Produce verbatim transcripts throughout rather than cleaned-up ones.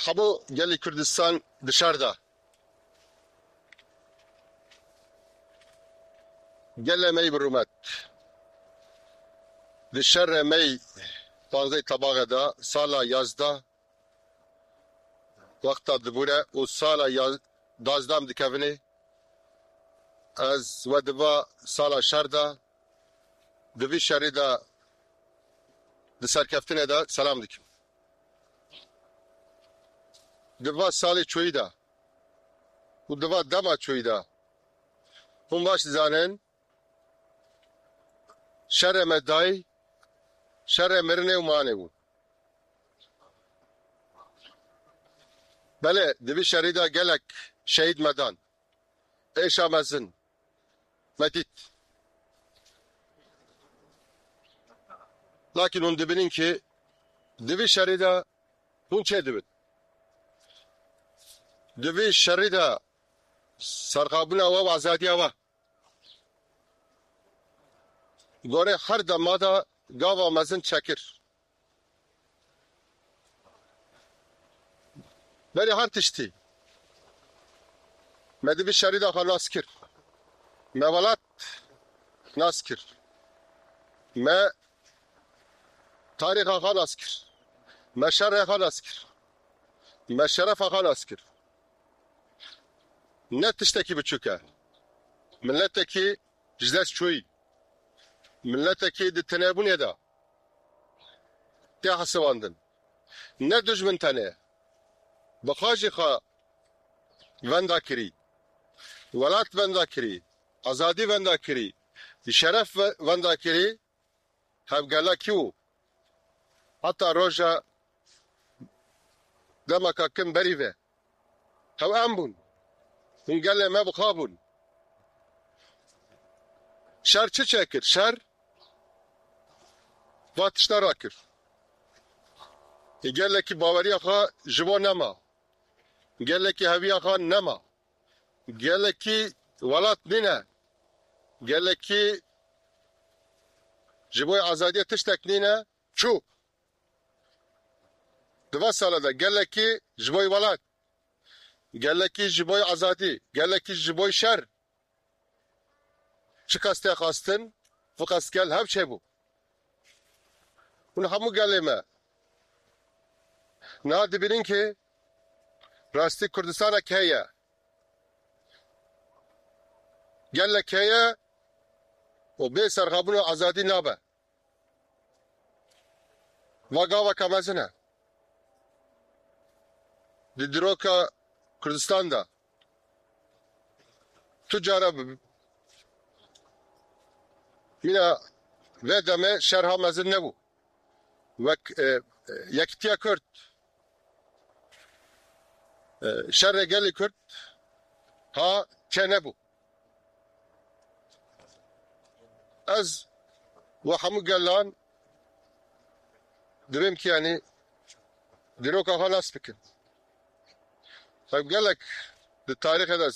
Hemû gelê Kurdistan di şer de. Gelê me yî bi rûmet. Di şerê me yî panzdeh Tebaxê de, sala yazdeh, wexta dibûre û sala ya-, dazdeh em dikevinê, ez we di va sala şer de, di vî şerî de, di serkeftinê de selam dikim. Di va salê çoyî de û di va dema çoyî de, hûn baş dizanin, şerê me dayî, şerê mirinê û manê bû. Belê, di vî şerî de gelek şehîd me dan. Êşa mezin me dît. Lakin hûn dibînin ki di vî şerî de hûn çê dibin. Di vî şerî de serxabûna we û azadiya we gorê her dema de gava mezin çekir. Berî her tiştî me di vî şerî de xwe nas kir. Me welat nas kir. Me tarîxa xwe nas kir. Me şerê xwe nas kir. Me şerefa xwe nas kir. Ne tiştekî biçûk e. Miletekî ji dest çûyî. Miletekî di tinêbûnê de tê hesibandin. Ne dijmin tenê, bi xwe jî xwe venda kirî, welat venda kirî, azadî venda kirî, şeref ve-, venda kirî, hevgela kî bû? Heta roja demeka kin berî ve. Hew em bûn. Hûn gelê me bi xwe bûn. Şer çi çêkir? Şer va tişta rakir. Gelekî baweriya xwe ji bo nema. Gelekî heviya xwe nema. Gelekî welat nîne. Gelekî ji bo azadiyê tiştek nîne. Çû. Di va sala de gelekî ji bo welat, gelekî ji bo azadî, gelekî ji bo şer. Çiqas tê xwestin, fiqas gel hev çêbû. Hûn hemû gelê me niha dibînin ki rastî Kurdistanek heye. Gelek heye û bê serxabûn û azadî nabe. Va gaveke mezin e. Di dîroka Kurdistan de tu cara bi-, mîna vê demê şer ha mezin nebû. Wek, e, e, Yekîtiya Kurd, e, şerê gelê Kurd ha çê nebû. Ez we hemû gelan divêm ki, yanî, dîroka xwe nas bikin. Ev gelek di tarîxê de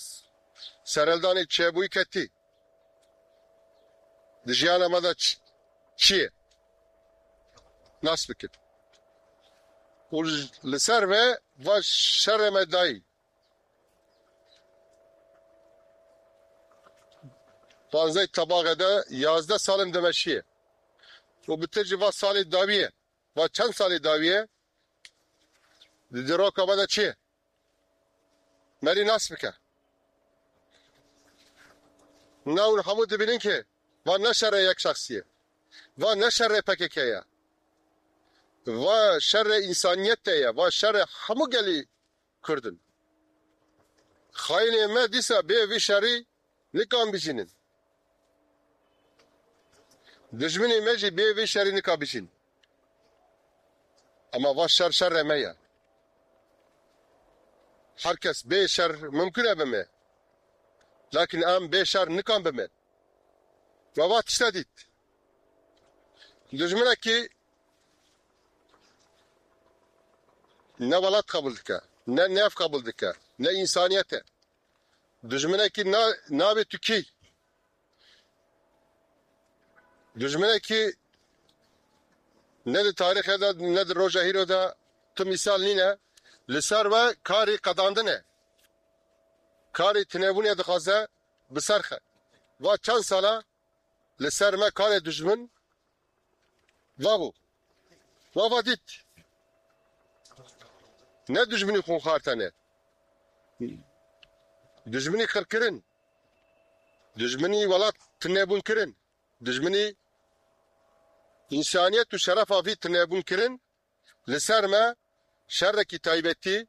serhildanê çêbûyî ketî. Di jiyana me de çi, çi ye? Nas bikin. Û li ser ve va şerê me dayî. Panzdeh Tebaxê de yazdeh salên dimeşiye. Û bi te jî va salê dawiyê, va çend salê dawiyê, di dîroka me de çi ye? Merî nas bike. Na hûn hemû dibînin ki va ne şerê yek şexsî ye. Va ne şerê P K K ye. Va şerê însaniyetê ye. Va şerê hemû gelî Kurd in. Xayinê me dîsa bê vî şerî nikan bijînin. Dijminê me jî bê vê şerî nika bijîn. Ema va şer şerê me ye. Her kes bê şer mimkun e bime. Lakin em bê şer nikan bime. We va tişta dît. Dijminekî ne welat qebûl dike, ne nef qebûl dike, ne însaniyet e. Dijminekî na-, navê tu kî? Dijminekî ne di tarîxê de, ne di roja hîro de tu mîsal nîne. Li ser we karê qedandin e. Karê tinebûnê dixwaze bi ser xe. Va çend sala li ser me karê dijmin va bû. Va va dît. Ne dijminî xûnxar tene. Dijminî qirkirin. Dijminî welat tinebûn kirin. Dijminî însaniyet û şerefa vî tinebûn kirin. Li ser me şerekî taybetî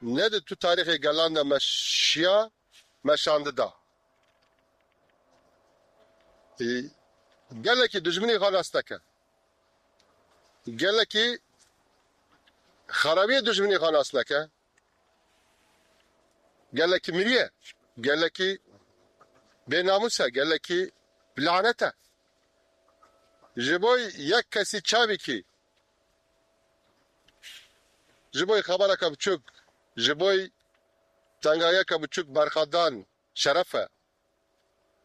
ne di tu tarîxê gelan de meşiya, meşandida. Ê, gelekî dijminî xwe nas neke. Gelekî xerabiyê dijminî xwe nas neke. Gelekî miriye. Gelekî bênamûs e. Gelekî bi lanet e. Ji bo yek kesî çavîkî, ji bo xebereke biçûk, ji bo tengayeke biçûk berxwedan şeref e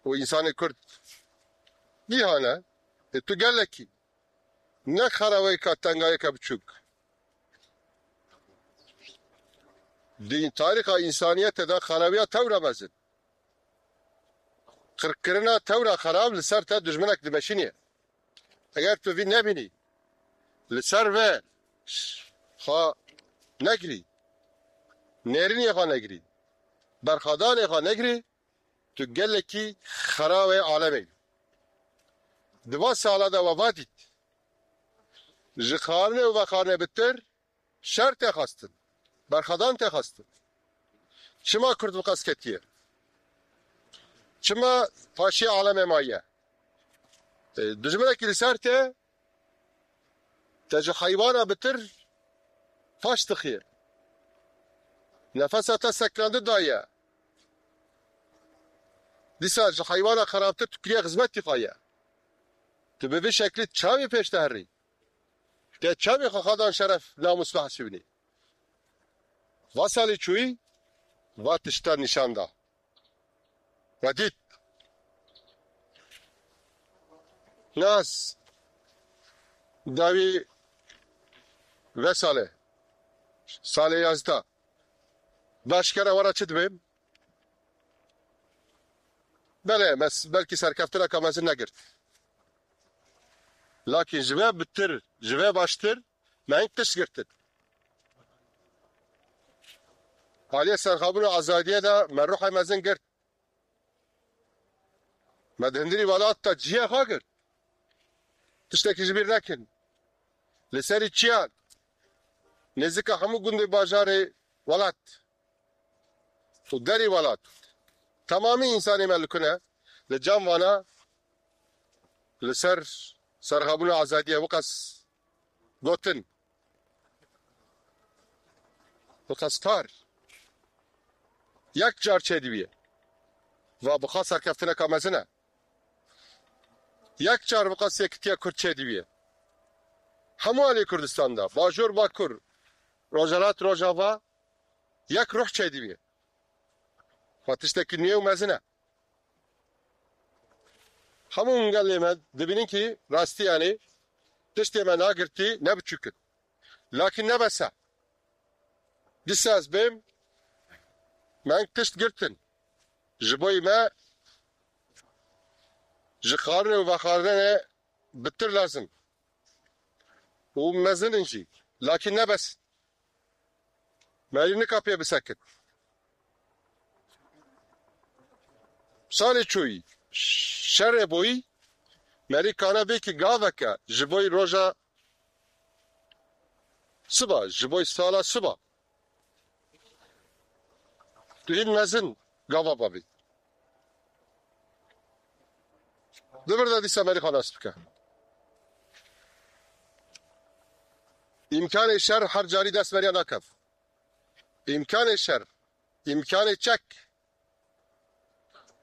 û însanê Kurd nîhan e. Ê tu gelekî ne xeraweyka tengayeke biçûk. Di tarîxa însaniyetê de xerawiya tewra mezin. Qirkirina tewra xerab li ser te dijminek dimeşînê. Eger tu vî nebînî, li ser ve xwe negirî, nêrînê xwe negirî, berxwedanê xwe negirî, tu gelekî xerawe alemê. Di va sala de we va dît. Ji xwarinê û vexwarinê bitir şer tê xwestin. Berxwedan tê xwestin. Çima Kurd bi qas ketiye? Çima paşê alemê maye? E, dijminekî li ser te, te ji heywana bitir paş dixiye. Nefesa te seklandi daye. Dîsa ji heywana xerabtir tu kiriye xizmetî xwe ye. Tu bi vî şeklî çavê pêş te herî. Te çavê xwe xwe dan şeref, namûs behsî binî. Va salê çûyî, va tişta nîşan da. We dît. Nas dawî ve sale, salê yazda. Baş kere wara çi dibêm? Belê, mes-, belkî serkeftineka mezin negirt. Lakin ji ve bitir, ji ve baştir, me hing tişt girtin. Aliyê serxabûn û azadiyê de me ruhê mezin girt. Me di hundirî welat de cihê xwe girt. Tiştekî ji bîr nekin. Li serî çiyan nêzika hemû gundê bajarê welat û derî welat. Temamî însanê me li ku ne, li cem vana, li ser serxabûna azadiyê wiqas gotin. Wiqas kar. Yek car çêdibiye. Va bixa serkeftineka mezin e. Yek car wiqas yekitiya Kurd çêdibiye. Hemû alî Kurdistan de, bajûr, bakur, rojhelat, rojava, yek ruh çêdibiye. Xwe tiştekî nû û mezin e. Hemû gelê me dibînin kî rastî, yanî tiştê me nagirtî ne biçûk in. Lakin ne bes e. Dîsa ez bêm, me hing tişt girtin. Ji bo me ji xwarinê û vexwarinê bitir lazim û mezin in jî. Lakin ne bes. Merî nika pê bisekit. Salê çûyî, şerê bûyî, merî kane bê ki gaveke ji boy roja siba, ji boy sala siba. Tu hîn mezin gava bavî. Di vir de dîsa merî xwe nas bike. Îmkanê şer her carî dest meriya nakev. Îmkanê şer, îmkanê çek,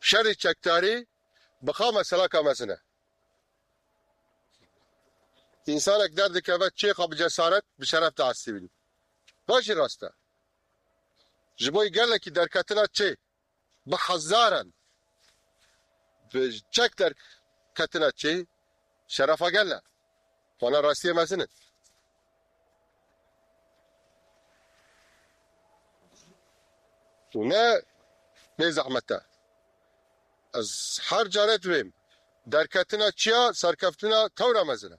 şerê çekdarî bi xwe meselaka mezin e. Însanek derdikeve çê xwe bi cesaret, bi şeref diestîbîn. Va jî rast e. Ji bo gelekî derketina çê bi hezaran bi çek derketina çê şerefa gel e. Wana rastiyê mezin in. û ne bê zehmet e. Ez her care divêm, derketina çiya, serkeftina tewra mezin e.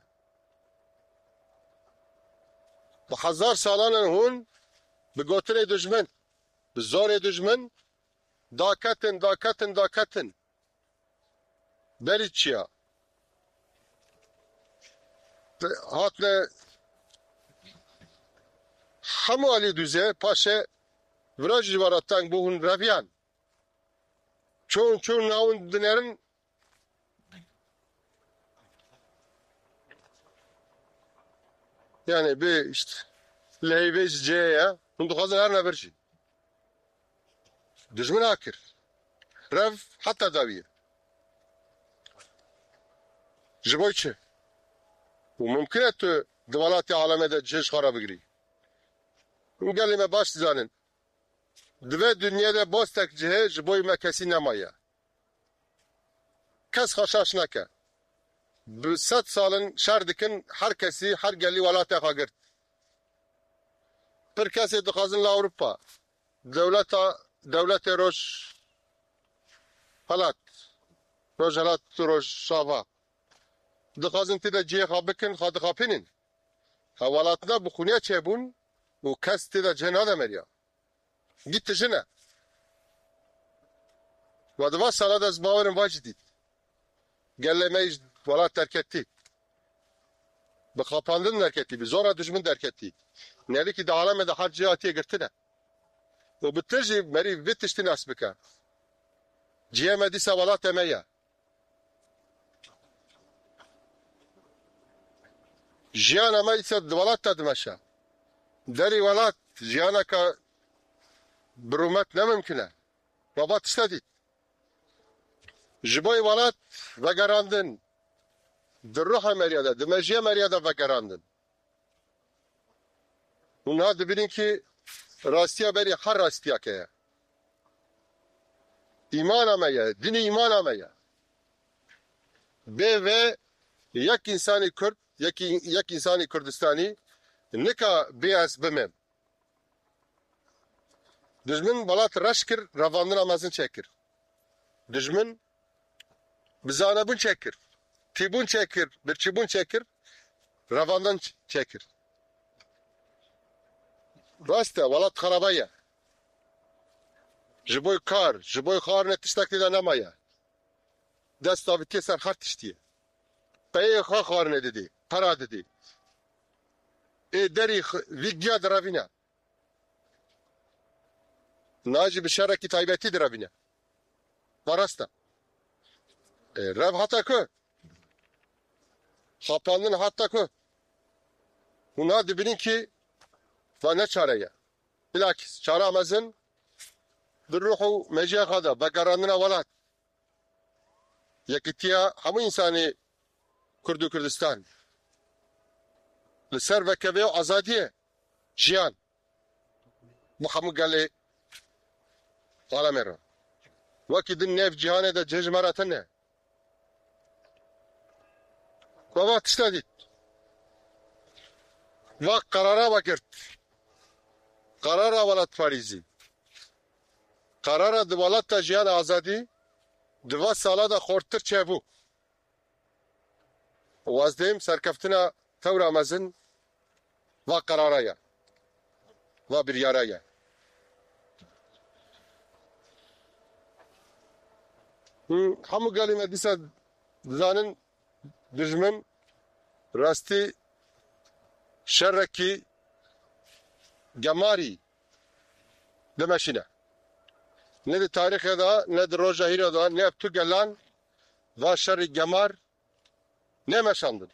Bi hezar salan in hûn bi gotinê dijmin, bi zorê dijmin daketin, daketin, daketin. Berî çiya. Hatine hemû alî dûzê, paşê vira jî wara teng bû, hûn reviyan. Çûn, çûn, nawin dinerin. Yani bi işte leyvê ji cihê ye. Hûn dixwazin her never jî. Dijmin akir. Rev heta dawiyê. Ji bo çi? Û mumkin e tu di welatê alemê de cihê ji xwe re bigirî. Hûn gelê me baş dizanin. Di vê dinyê de bostek cihê ji bo me kesî nemaye. Kes xwe şaş neke. Bi sed sal in şer dikin, her kesî, her gelî welatê xwe girt. Pir kesê dixwazin li Ewropa, dewleta, dewletê Roj helat, Rojhelat û Rojava. Dixwazin tê de cihê xwe bikin, xwe dixapînin. Hewalatina bi xûnê çêbûn û kes tê de cihê nade meriya. Gitti jine. Ve di va sala de ez bawerim va jî dît. Gelê me ji welat derketî. Bi xapandin derketî, bi zora dijmin derketî. Nelikî di alemê de her cihê hatiye girtine. Û bi tu jî merî vê tiştî nas bike. Cihê me dîsa welatê me ye. Jiyana me îse di welat de dimeşe. Derî welat jiyaneke bi rûmet ne mimkin e. Baba tişte dît. Ji bo welat vegerandin, di ruha meriya de, di mejiyê meriya de vegerandin. Hûn niha dibînin ki rastiya berî her rastiyeke ye. Îmana me ye, dinê îmana me ye. Bê vê yek însanî Kurd, yek, yek însanî Kurdistanî nika bê ez bimêm. Dijmin welat reş kir, revandina mezin çêkir. Dijmin bi zanebûn çêkir, tîbûn çêkir, birçîbûn çêkir, revandin ç-, çêkir. Rast e, welat xeraba ye. Ji bo kar, ji bo xwarine tiştek tê de nemaye. Dest davitiye ser her tiştiyê. Peyê xwe xwarine didî, pera didî. Ê derî x-, vî giya direvîne. Na jî bi şerekî taybetî direvîne. Va rast e. E, rev hata ku? Xapandin hata ku? Hûn ha dibînin ki va ne çare ye. Bilakis çara mezin bi ruh û meciya xwe de vegerandina welat. Yekîtiya hemû însanê Kurd û Kurdistan. Li ser vekevê û azadiyê jiyan. Bi hemû gelê alemê re. Wekî din nêv cîhanê de cih ji me re tune. Baba tişta dît. Va qerara vegirt. Qerara welatparêzî. Qerara di welata jiyan azadî di va sala de xortir çêbû. Û ez dêm serkeftina tewra mezin va qerara ye, va biryara ye. Hûn hemû gelê me dîsa dizanin dijmin rastî şerekî gemarî dimeşîne. Ne di tarîxê de, ne di roja hîro de, ne ev tu gelan va şerî gemar nemeşandin.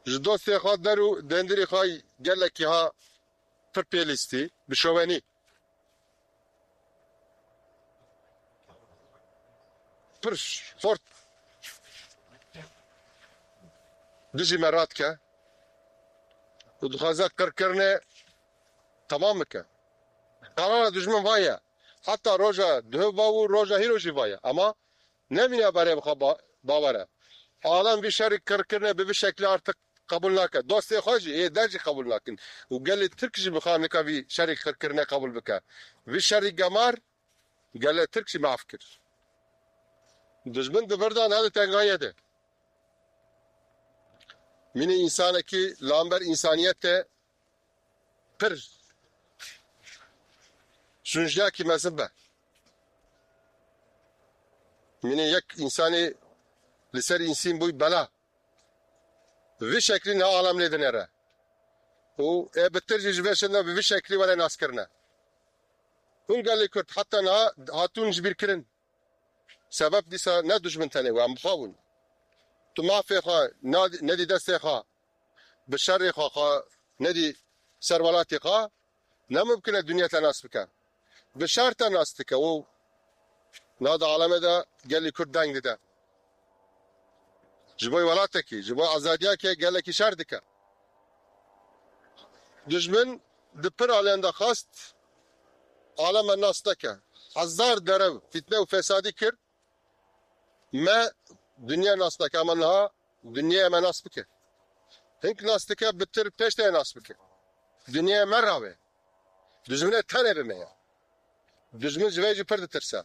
Ji dostê xwe der û dendirê xwe gelekî ha pir pêlîstî, bi şovenî. Pir xort dijî me radike û dixwaze qirkirinê temam bike. Qerara dijmin va ye. Heta roja duhê va û roja hîro jî va ye. Ama nemîne berê bi xwe ba-, bawer e. Alem vî şerî qirkirinê bi vî şeklî artık qebûl nake. Dostê xwe jî ê der jî qebûl nakin. Û gelê Tirk jî bi xwe nika vî şerî qirkirine qebûl bike. Vî şerî gemar gelê Tirk jî maf kir. Dijmin di vir de ne di tengayê de. Mînê însanekî li hember însaniyetê pir şûnjiyakî mezin be. Mînê yek însanê li ser însîn bûy bela. Vî şeklî niha alem lê dinêre. Û ê bitir jî ji vê şinda bi vî şeklî were naskirine. Hûn gelê Kurd heta niha hatûn ji bîr kirin. Sebeb dîsa ne dijmin tenê we, em bi xwe bûn. Tu mafê xwe nadî, nedî destê xwe, bi şerê xwe xwe nedî ser welatê xwe, ne mumkin e dinya te nas bike. Bi şer te nas dike û niha di alemê de gelê Kurd deng dide. Ji bo welatekî, ji bo azadiyekê gelekî şer dike. Dijmin di pir alên de xwest aleme nas neke. Hezar derew fîtne û fesadî kir. Me dinya nas neke, ama niha dinyayê me nas bike. Hink nas dike, bitir pêş te nas bike. Dinyayê me rabe. Dijminê tenê bi me ye. Dijmin ji vê jî pir ditirse.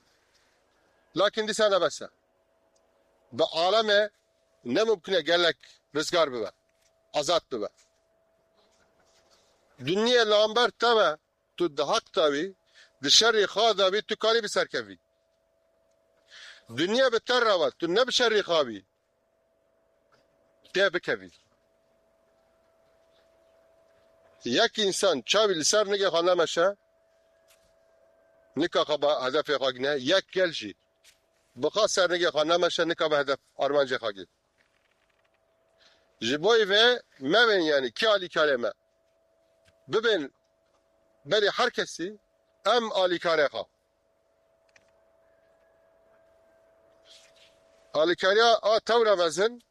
Lakin dîsa ne bes e. Bi aleme ne mumkin e gelek rizgar bibe, azad bibe. Dinyê li hember te be, tu di heq de bî, di şerê xwe de bî, tu karî bi ser kevî. Dinya bi te re be, tu ne bi şerê xwe bî, tê bikevî. Yek însan çavî li ser nigê xwe nemeşe, nika xwe bi hedefê xwe gine, yek gel jî bi xwe ser nigê xwe nemeşe, nika bi hedef armancê xwe gî. Ji bo vê mebên, yanî kî alîkarê me. Bibên berê her kesî, em alîkarê xwe. Alîkariya a tewra mezin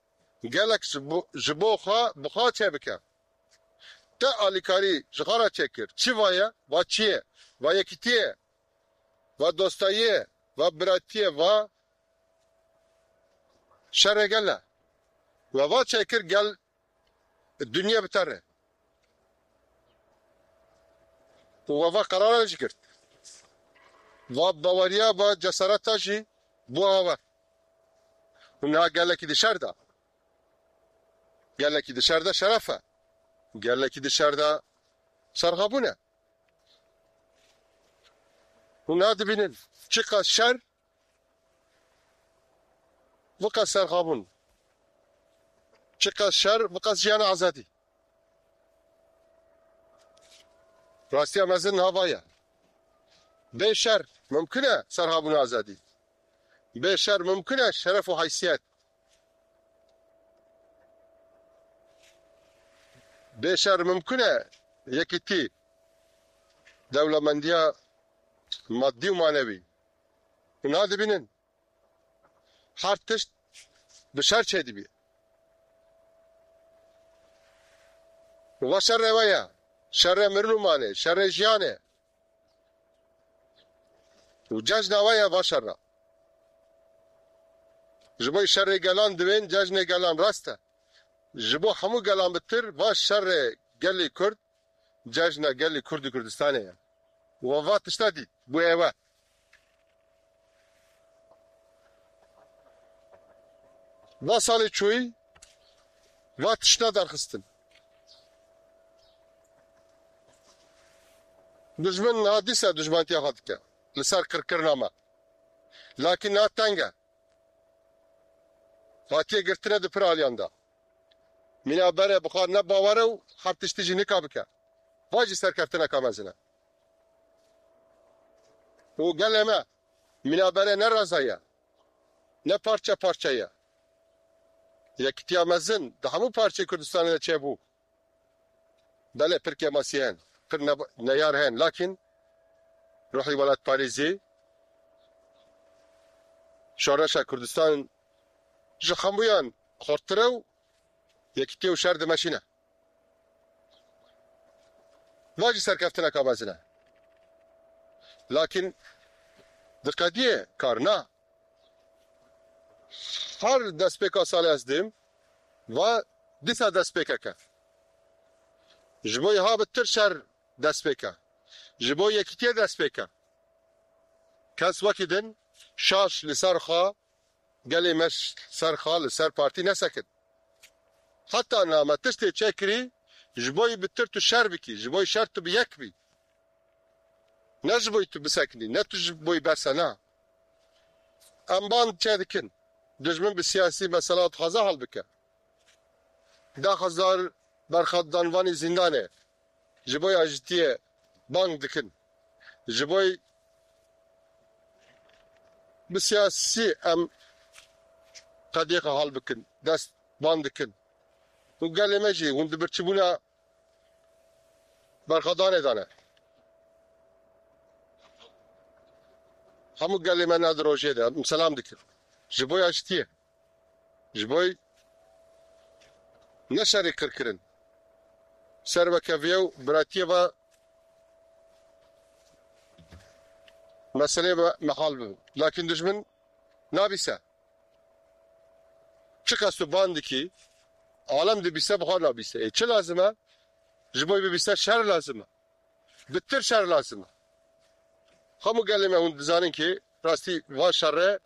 gelek ji bo, ji bo xwe, bi xwe çêbike. Te alîkarî ji xwe re çêkir. Çi va ye? Va çi ye? Va yekîtî ye. Va dostayî ye. Va biratî ye. Va şerê gel e. We va çêkir gel dinya bi te re. Û we va qerara jî girt. Va baweriya, va cesareta jî bû awe. Û niha gelekî di şer de. Gelekî di şer de şeref e. Gelekî di şer de serxabûn e. Hûn niha dibînin çiqas şer, viqas serxabûn. Çiqas şer, viqas jiyana azadî. Rastiya mezin niha va ye. Bê şer mumkin e serxabûn û azadî. Bê şer mumkin e şeref û heysiyet. Bê şer mumkin e yekîtî, dewlemendiya madî û manewî. Hûn niha dibînin her tişt bi şer çêdibî. Û va şerê we ye. Şerê mirin û manê, şerê jiyanê. Û cejna we ye va şerra. Ji bo şerê gelan divên cejnê gelan rast e. Ji bo hemû gelan bitir va şerê gelê Kurd, cejna gelê Kurd û Kurdistanê ye. Û va tişta dît, bû êwe. Va salê çûyî, va tişta derxistin. Dijmin niha dîsa dijmantiya xwe dike. Li ser qirkirina me. Lakin niha teng e. Hatiye girtine di pir aliyan de. Mîna berê bi xwe ne bawer e û her tiştî jî nika bike. Va jî serkeftineka mezin e. Û gelê me mîna berê ne reza ye, ne parçe parçe ye. Yekîtiya mezin di hemû parçeyê Kurdistanê de çêbû. Belê pir kêmasî hene, pir ne-, neyar hene, lakin ruhî welatparêzî, şoreşa Kurdistan ji hemûyan xurttir e û yekîtî û şer dimeşîne. Va jî serkeftineka mezin e. Lakin diqediyê kar na. Her destpêka salê ez dêm, va dîsa dest pê keke. Ji bo ha bi tir şer dest pê ke. Ji bo yekîtiyê dest pê ke. Kes wekî din şaş li ser xwe, gelê me ş-, ser xwe, li ser partî nesekin. Heta niha me tiştê çêkirî, ji bo yî bi tir tu şer bikî, ji bo yî şer tu bi yek bî. Ne ji bo yî tu bisekinî, ne tu ji bo yî berse, na. Em band çêdikin. Dijmin bi siyasî mesela dixwaze hal bike. Deh hezar berxwedanvanî zîndanê ji bo yajitiyê bang dikin. Ji bo bi siyasî em qediyê xwe hal bikin, dest band dikin. Û gelê me jî hûn di birçîbûna berxwedanê de ne. Hemû gelê me ne di rojê de, em selam dikin. Ji bo yajitiyê. Ji bo ne şerê qirkirin. Ser ve keviye û biratiyê ve meselê ve mehal bibin. Lakin dijmin nabîse. Çiqas tu ban dikî, alem dibîse, bi xwe nabîse. Ê, çi lazim e? Ji bo bibîse şer lazim e. Bitir şer lazim e. Hemû gelê me hûn dizanin ki rastî van şerre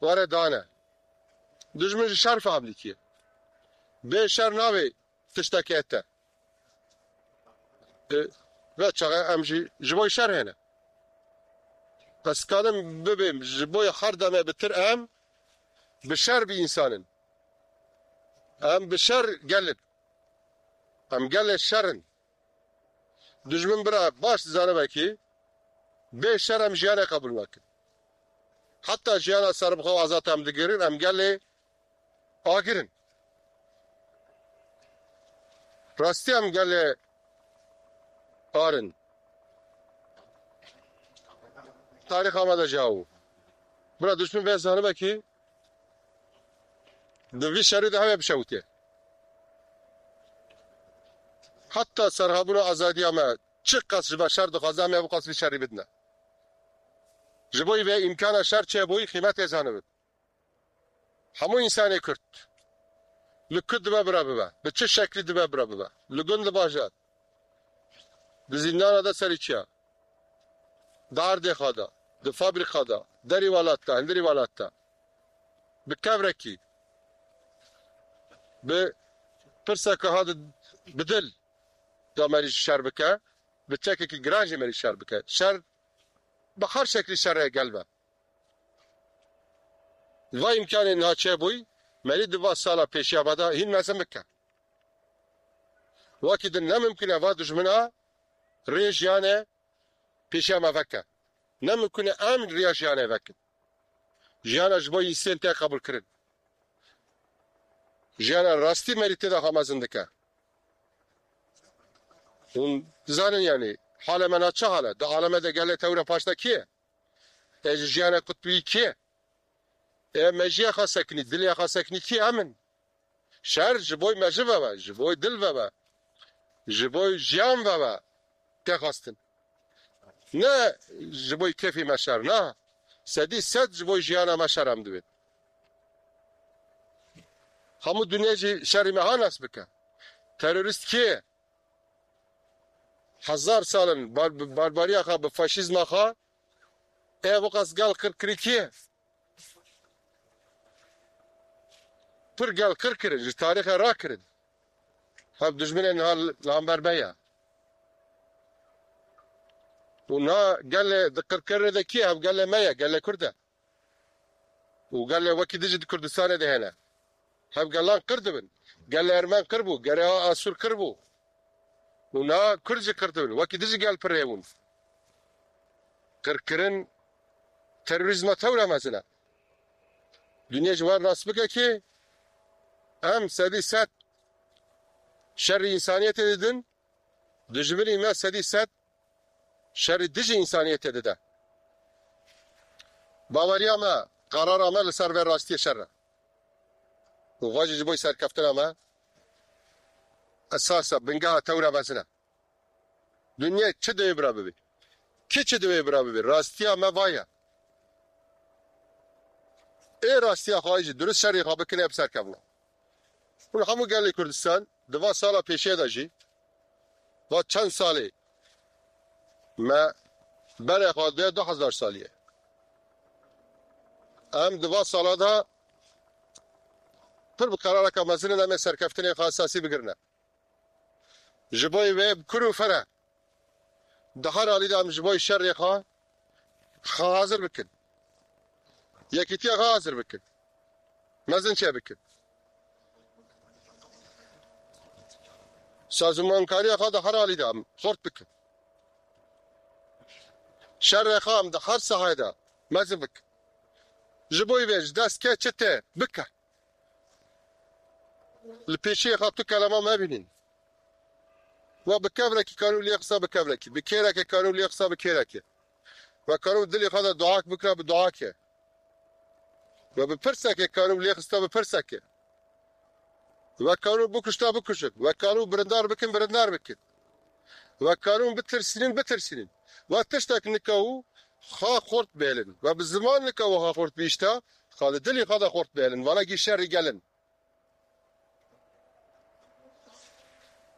were dane. Dijmin ji şer fehm dikiye. Bê şer navê tiştekê te. E, ve çaxe em jî ji bo şer hene. Ez kadim bibêm ji bo her demê bitir em bi şer bi insanin. Em bi şer gelin. Em gelê şer in. Dijmin bira baş dizanibe ki bê şer em jiyanê qebûl nakin. Heta jiyana serbixwe û azad em digirin, em gelê agir in. Rastî em gelê ar in. Tarîxa me de jî aw. Bira dijmin vê zanibe ki di vî şerî de heve bişewitê. Heta serhabûna azadiya me çi qas ji me şer dixwaze, em ê ew qas vî şerî bidine. Ji bo vê îmkana şer çêbûyî qîmetê zanibin. Hemû însanê Kurd li ku dibe bira bibe, bi çi şeklî dibe bira bibe, li gund, li bajar, di zîndana de serî çiya, di erdê xwe de, di fabrîka de, derî welat de, hundirî welat de, bi kevrekî, bi pirseke ha di, bi dil da merî şer bike, bi çekekî giran jî merî şer bike. Şer bi her şeklî şerê gel be. Va îmkanê niha çêbûyî, merî di va sala pêşiya ve de hîn mezin bike. Wekî din ne mimkun e va dijmina rê jiyanê pêşiya me veke. Ne mimkun e em riya jiyanê vekin. Jiyana ji bo yîsên tê qebûl kirin. Jiyana rastî merî tê de xwe mezin dike. Hûn dizanin, yanî, halê me na çi hal e? Di aleme de gelê tewre paşta kî ye? Ê ji jiyana qutbî kî ye? Ê me jiya xwe sekinî, dilê xwe sekinî kî? Em in. Şer ji bo me ji ve be, ji bo dil ve be, ji bo jiyan ve be tê xwestin. Ne ji bo kêfê me şer, na. Sedî sed ji bo jiyana me şer em dibên. Hemû dinya jî şerî me ha nas bike. Terorîst kê? Hezar sal in bar-, barbariya xwe, bi faşîzma xwe, ê ev qas gel qir kirî kê? Pir gel qir kirin, ji tarîxê rakirin. Hev dijminên niha li hember me ye. Û niha gelê di qirkirinê de kî ye? Hev gelê me ye, gelê Kurd e. Û gelê wekî din jî di Kurdistanê de hene. Hev gelan qir dibin. Gelê Ermen qir bû, gelê Asûr qir bû. Û niha Kurd jî qir dibin. Wekî din jî gel pir hêbûn. Qirkirin terorîzma tewra mezin e. Dinya ji wan rast bike ki em sedî sed şerî însaniyetê didin, dijminî me sedî sed şerî dijî însaniyetê dide. Baweriya me, qerara me li ser vê rastiyê şer e. Û va jî ji bo serkeftina me esas e, bingeha tewra mezin e. Dinyê çi divê bira bibê? Kî çi divê bira bibê? Rastiya me va ye. Ê rastiya xwe jî durust şerê xwe bikine bi serkevna. Hûn hemû gelê Kurdistan di va sala pêşiya de jî, va çend salê me berê xwe diye du hezar salî ye. Em di va sala de pir bi qerareke mezin in, em ê serkeftinê xwe esasî bigirine. Ji bo vê bi kur û fere di her alî de em ji bo şerê xwe, xwe hazir bikin. Yekîtiya xwe hazir bikin. Mezin çê bikin. Sazûmankariya xwe di her alî de em xurt bikin. Şerê xwe em di her sahayê de mezin bikin. Ji bo vê ji dest ke çi tê bike. Li pêşiyê xwe tu kelama mebînin. We bi kevrekî kanû lê xista bi kevrekî, bi kêrekê kanû lê xista bi kêrekê. We kanû dilê xwe de duak bikira bi duakê. We bi pirsekê kanû lê xista bi pirsekê. We kanû bikuşta bikuşin. We kanû birindar bikin, birindar bikin. We kanû bitirsînin, bitirsînin. We tiştek nika û xwe xurt bêlin. We bi ziman nika û xwe xurt bîşta, xwe li dilê xwe de xurt bêlin. Vana gî şerî gelin.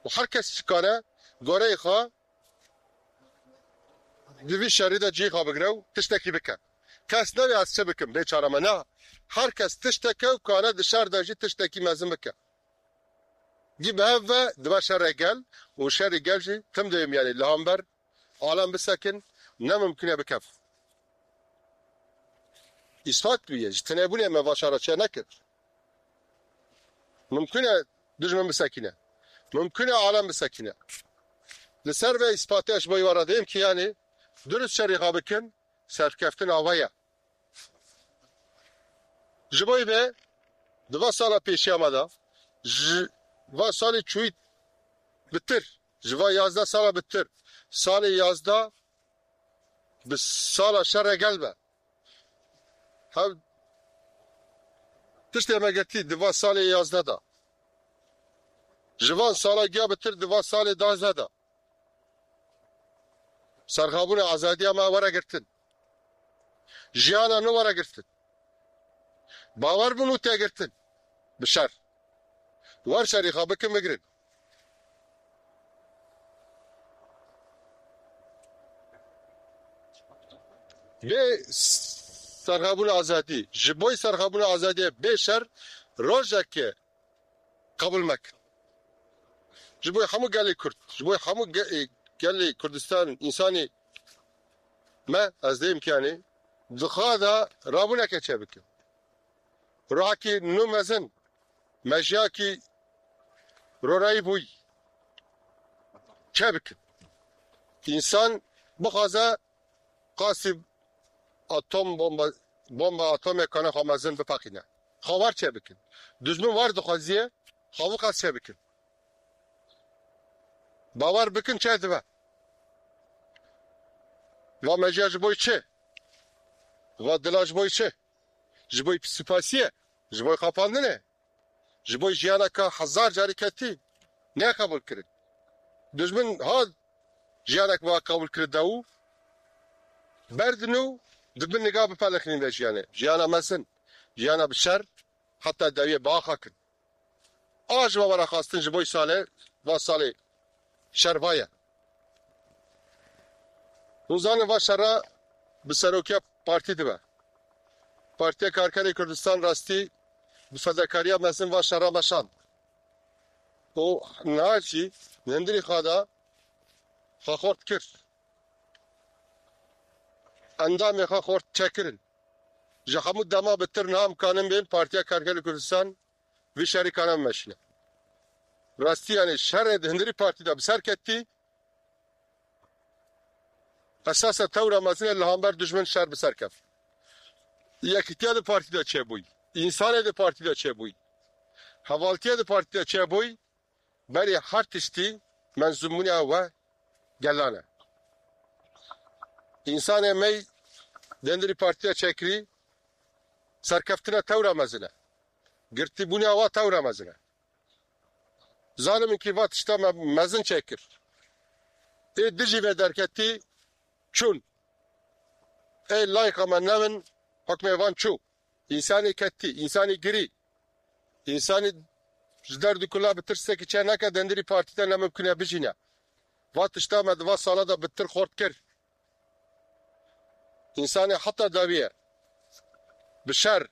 Û her kes çi kare goreyê xwe di vî şerî de cihê xwe bigire û tiştekî bike. Kes nabê ez çi bikim, bê çare me. Na, her kes tişteke û kare di şer de jî tiştekî mezin bike. Gî bi hev ve dibe şerê gel û şerê gel jî tim dewêm, yanî li hember alem bisekin, ne mimkun e bikev. Îspat bûye, ji tinebûnê me va şer çê nekir. Mimkun e dijmin bisekîne. Mimkun e alem bisekîne. Li ser vê îspatê ji bo wê re dêm ki, yanî dirust şerê xwe bikin, serkeftin ava ye. Ji bo vê di va sala pêşiya me de, ji va salê çûyî bitir, ji va yazdeh sala bitir, salê yazdeh bi sala şerê gel be. Hev tiştê me girtî di va salê yazdeh de. Ji van sala giya bitir di va salê duwazdeh de. Serxabûna azadiya me were girtin. Jiyana nû were girtin. Bawer bûn û tê girtin. Bi şer. Wer şerî xwe bikin, bigrin. Bê serxabûna azadî, ji bo serxabûna azadiyê bê şer rojekê qebûl mekin. Ji bo hemû gelê Kurd, ji bo hemû ge-, gelê Kurdistan, însanê me, ez dêm ki, yanî, di xwe de rabûneke çêbikin. Ruhekî nû mezin, mejiyakî rorayî bûyî çêbikin. Însan bixwaze qasî atom bomba, bomba atomê kane xwe mezin bipeqîne. Xwe wer çêbikin. Dijmin wer dixwaziye, xwe wixas çêbikin. Bawer bikin çê dibe. Va mejiya ji bo çi? Va dila ji bo çi? Ji bo psîkopatiyê, ji bo qapandinê, ji bo jiyaneke hezar carî ketî, ne qebûl kirin. Dijmin ha jiyanek va qebûl kiride û berdin û dibin niga bipeqînin vê jiyanê. Jiyana mezin, jiyana bi şer, heta dawiyê biaxakin. A ji me were xwestin ji bo salê, va salê şer va ye. Hûn zanin va şera bi serokiya partî dibe. Partiya Karkerê Kurdistan rastî bi fedakariya mezin va şera meşand. Û niha jî li hundirî xwe de xwe xort kir. Endamê xwe xort çêkirin. Ji hemû dema bitir niha em kanin bên Partiya Karkerê Kurdistan vî şerî kane bimeşîne. Rastî, yanî şerê di hundirî partî de bi ser ketî, esasa tewra mezin e li hember dijmin şer bi ser kev. Yekîtiya di partî de çêbûyî, însanê di partî de çêbûyî, hevaltiya di partî de çêbûyî, berî her tiştî menzûmbûna we gelan e. Însanê me yî di hundirî partî de çêkirî, serkeftina tewra mezin e. Girtîbûna we tewra mezin e. Zalim in kî va tişta me mezin çêkir. Ê dijî vê derketî çûn. Ê layqa me nevin hukmê van çû. Însanê ketî, însanê girî, însanê ji derd û kula bi tirsekî çêneke, di hundirî partî de ne mimkun e bijîne. Va tişta me di va sala de bi tir xort kir. Însanê heta dawiye bi şer,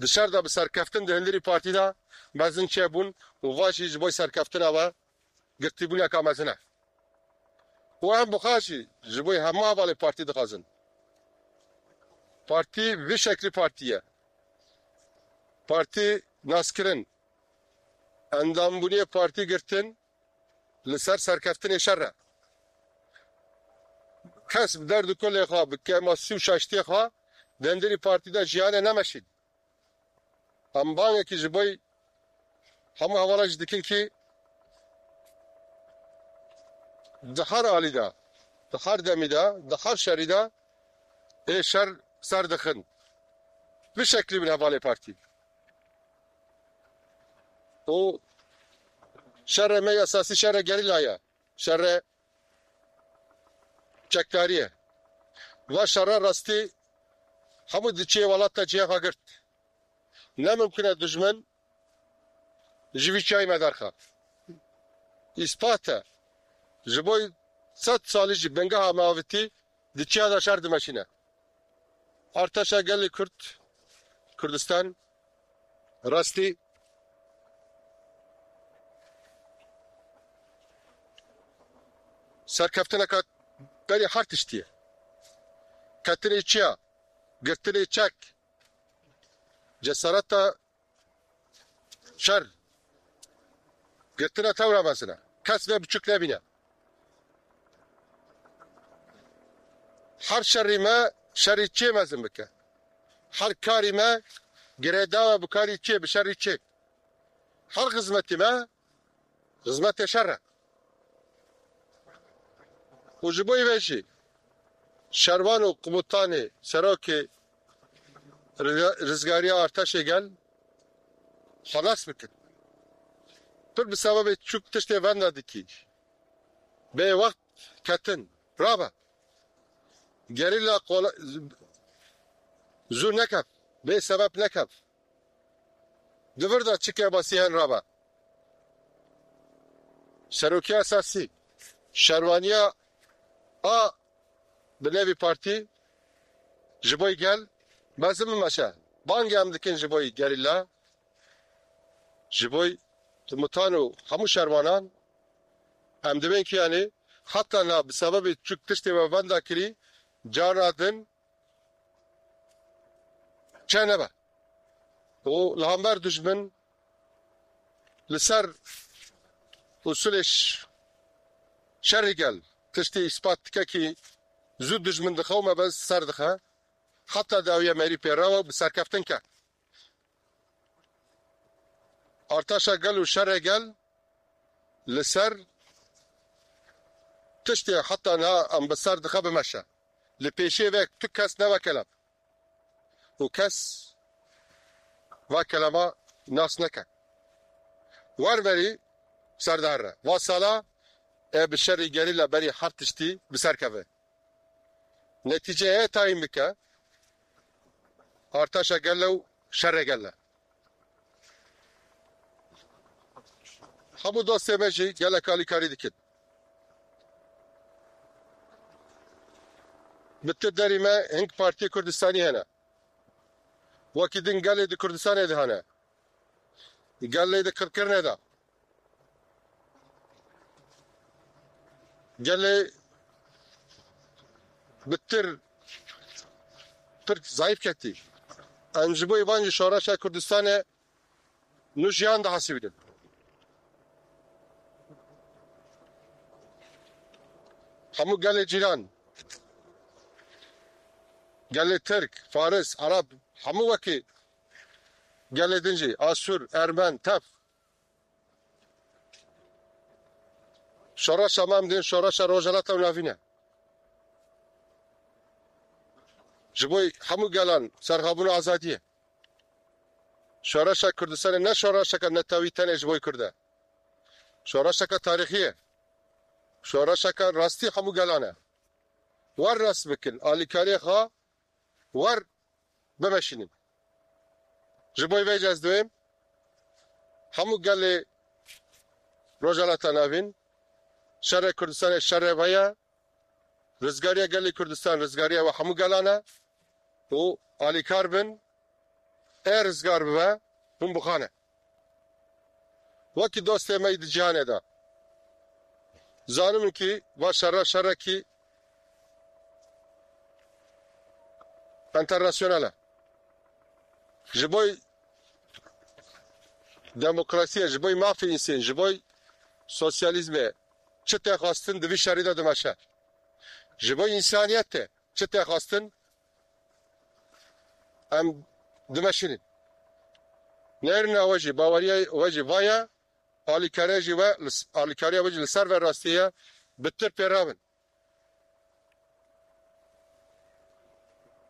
di şer de bi serkeftin di hundirî partî de mezin çêbûn û va jî ji bo serkeftina we girtîbûneka mezin e. Û em bi xwe jî ji bo hemû hevalê partî dixwazin. Partî vî şeklî partî ye. Partî naskirin, endambûniyê partî girtin, li ser serkeftinê şer e. Kes bi derd û kulê xwe, bi kêmasî û şaştiyê xwe di hundirî partî de jiyanê nemeşîn. Em bangekî ji bo hemû hevala jî dikin kî di her alî de, di her demî de, di her şerî de ê şer ser dixin. Bi şeklî bin hevalê partî. û şerê me esasî şerê gerîla ye. Şerê çekdarî ye. Va şerê rastî hemû diçê welata cihê xwe girt. Ne mimkun e dijmin ji vî çiyayî me derxe. Îspat e. Ji bo sed salî jî bingeha me avitî di çiya de şer dimeşîne. Artaşa gelê Kurd, Kurdistan, rastî serkeftineka berî her tiştî ye. Ketinê çiya, girtinê çek, cesareta şer, girtina tewra mezin e. Kes vê biçûk nebîne. Her şerî me şerî çê mezin bike. Her karî me girêdawa bi karî çê, bi şerî çê. Her xizmetî me xizmetê şer e. Û ji bo vê jî şervan û qubutanê serokê Rizgariya Artaşê gel xelas bikin. Pir bi sebebê çûk tiştê venda dikî. Bê wext ketin. Rabe. Gerîla kola-, zû nekev. Bê sebeb nekev. Di vir de çi kêmasî hene rabe. Serokê esasî, şerwaniya a bi nevî partî ji bo gel mezin bimeşe. Bangê em dikin ji bo gerîla, ji bo komutan û hemû şerwanan em dibên kiyanê heta na bi sebebê çûk tiştê we venda kirî carna din çe nebe. Û li hember dijmin li ser usulê ş-, şerî gel tiştê îspat dike kî zû dijmin diqewime be ser dixe. Heta dawiye merî pê rewe bi serkeftin ke. Artaşa gel û şerê gel li ser tiştê heta niha em bi ser dixe bimeşe. Li pêşê ve tu kes neve kelem. Û kes va kelema nas neke. Wer verî ser dihere. Va sala e bi şerî gerîla berî her tiştî bi ser keve. Netîceyê tayîn bike, Artaşa gel e û şerê gel e. Hemû dostê me jî gelek alîkarî dikin. Bi tu derî me hing partiyê Kurdistanî hene. Wekî din gelê di Kurdistanê de hene. Gelê di qirkirinê de. Gelê bi tir pir zayîf ketî. Em ji bo van jî şoreşa Kurdistanê nû jiyan dihesibînin. Hemû gelê cîran, gelê Tirk, Faris, Ereb, hemû wekî gelê din jî, Asûr, Ermen, tev. Şoreşa me em dên şoreşa Rojhilata û Navîn e. Ji bo hemû gelan serxabûna azadiyê. Şoreşa Kurdistanê ne şoreşeke netewî tenê ji bo Kurd e. Şoreşeke tarîxî ye. Şoreşeke rastî hemû gelan e. Wer rast bikin, alîkariyê xwe wer bimeşînin. Ji bo vê jî ez dibêm hemû gelê Rojhilata Navîn, şerê Kurdistanê şerê we ye, rizgariya gelê Kurdistan rizgariya we hemû gelan e û alîkar bin, ê rizgar bibe, hûn bixane. Wekî dostê me yî di cîhanê de. Zanim ki va şerra şerrekî enternasyonal e. Ji bo demokrasiyê, ji bo mafê însan, ji bo sosyalîzmê çi tê xwestin di vî şerî de dimeşe. Ji bo însaniyetê çi tê xwestin em dimeşînin. Nêrîna we jî, baweriya we jî va ye, alîkariya jî we, alîkariya we jî li ser vê rastiyê ye, bi tir pê rabin.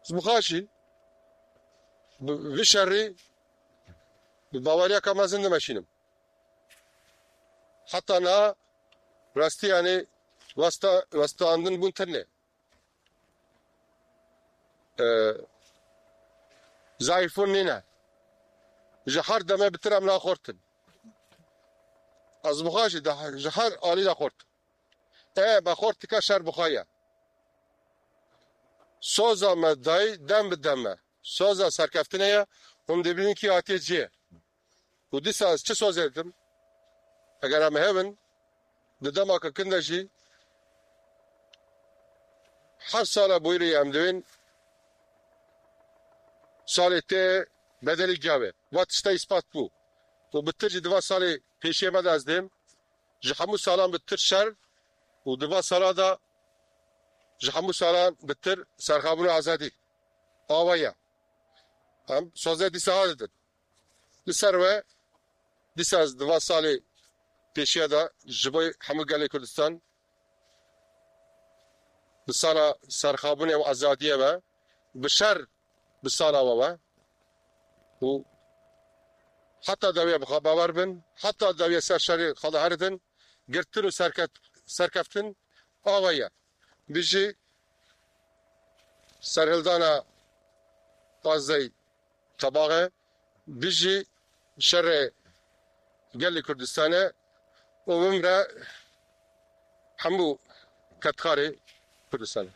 Ez bi xwe jî bi vî şerî bi baweriyeke mezin dimeşînim. Heta niha rastî, yanî westa, westandin bûn tune. E, zayîfbûn nîne. Ji her demê bi tir em naxortin. Ez bi xwe jî de, ji her alî de xort. E, me xort dike şer bi xwe ye. Soza me dayî dem bi dem e. Soza serkeftinê ye. Hûn dibînin kî hatiye cihê. Û dîsa ez çi sozê didim? Eger em hebin, di demaka kin de jî her sala bûyîrê em dibên salê tê bedelî gavê. Va tişta îspat bû. Û bi tir jî di va salê pêşiyê me de ez dêm, ji hemû salan bi tir şer û di va sala de ji hemû salan bi tir serxabûn û azadî. Awa ye. Em sozê dîsa ha didin. Li ser we dîsa ez di va salê pêşiya de ji bo hemû gelê Kurdistan bi sala serxabûnê û azadiyê ve, bi şer bi sala we ve û heta dawiya bi xwe bawer bin, heta dawiya ser şerê xwe de heridin, girtin û serket-, serkeftin awa ye. Bijî serhildana Gazey Tebaxe, bijî şerê gelê Kurdistanê û bimre hemû kedkarê Kurdistanê.